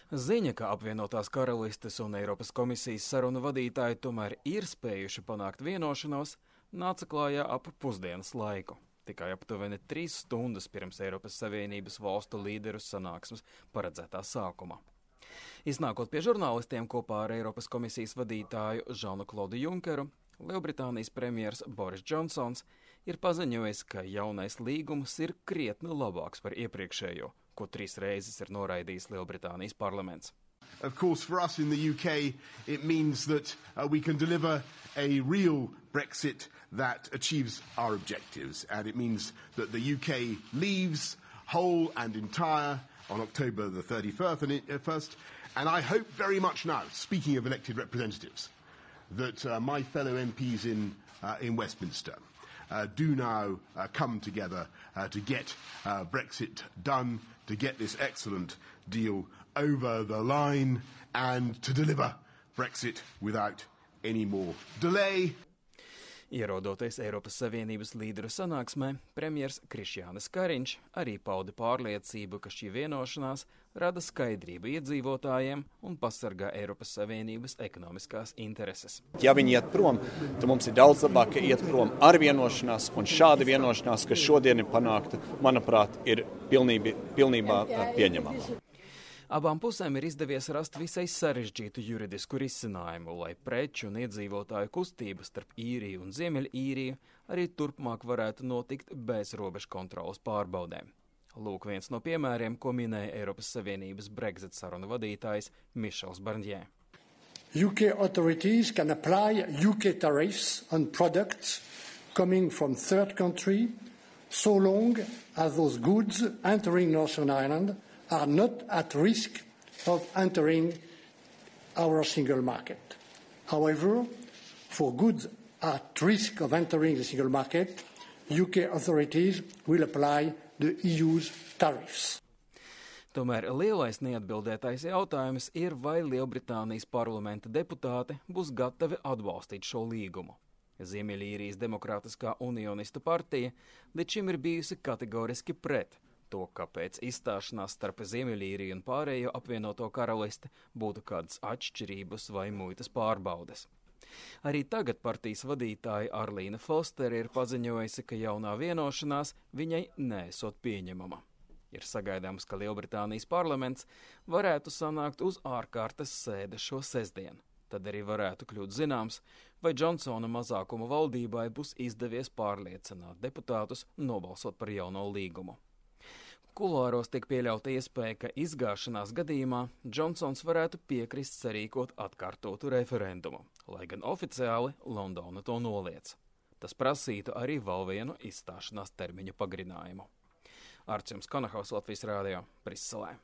Ziņa, ka apvienotās karalistes un Eiropas komisijas sarunu vadītāji tomēr ir spējuši panākt vienošanos, nāca klājā ap pusdienas laiku. Tikai aptuveni 3 stundas pirms Eiropas Savienības valstu līderu sanāksmes paredzētā sākuma. Iznākot pie žurnālistiem kopā ar Eiropas komisijas vadītāju Žanu Klodu Junkeru, Lielbritānijas premjers Boris Džonsons ir paziņojis, ka jaunais līgums ir krietni labāks par iepriekšējo, ko 3 reizes ir noraidījis Lielbritānijas parlaments. Of course, for us in the UK, it means that we can deliver a real Brexit that achieves our objectives. And it means that the UK leaves whole and entire on October the 31st. And I hope very much now, speaking of elected representatives, that my fellow MPs in Westminster do now come together to get Brexit done, to get this excellent deal over the line and to deliver Brexit without any more delay. Ierodoties Eiropas Savienības līderu sanāksmē, premjers Krišjānis Kariņš arī pauda pārliecību, ka šī vienošanās rada skaidrību iedzīvotājiem un pasargā Eiropas Savienības ekonomiskās intereses. Ja viņi iet prom, tad mums ir daudz labāk, ka iet prom ar vienošanās, un šāda vienošanās, kas šodien ir panākta, manuprāt, ir pilnībā pieņemama. Abām pusēm ir izdevies rast visai sarežģītu juridisku risinājumu, lai preču un iedzīvotāju kustība starp Īriju un Ziemeļīriju arī turpmāk varētu notikt bez robežu kontrolas pārbaudēm. Lūk viens no piemēriem, ko minēja Eiropas Savienības Brexit sarunu vadītājs Mišels Barņē. UK authorities can apply UK tariffs on products coming from third country so long as those goods entering Northern Ireland are not at risk of entering our single market. However, for goods at risk of entering the single market, UK authorities will apply the EU's tariffs. Tomēr lielais neatbildētais jautājums ir, vai Lielbritānijas parlamenta deputāti būs gatavi atbalstīt šo līgumu. Ziemeļīrijas Demokrātiskā unionistu partija līdz šim ir bijusi kategoriski pret to, kāpēc izstāšanās starp Ziemeļīriju un pārējo apvienoto karalisti būtu kādas atšķirības vai muitas pārbaudes. Arī tagad partijas vadītāja Arlīna Fostere ir paziņojusi, ka jaunā vienošanās viņai neesot pieņemama. Ir sagaidāms, ka Lielbritānijas parlaments varētu sanākt uz ārkārtas sēde šo sestdienu. Tad arī varētu kļūt zināms, vai Džonsona mazākuma valdībai būs izdevies pārliecināt deputātus nobalsot par jauno līgumu. Kulāros tiek pieļauta iespēja, ka izgāšanās gadījumā Džonsons varētu piekrist sarīkot atkārtotu referendumu, lai gan oficiāli Londona to noliedz. Tas prasītu arī vēl vienu izstāšanās termiņa pagarinājumu. Arčuns Konahaus, Latvijas Rādio, Briselē.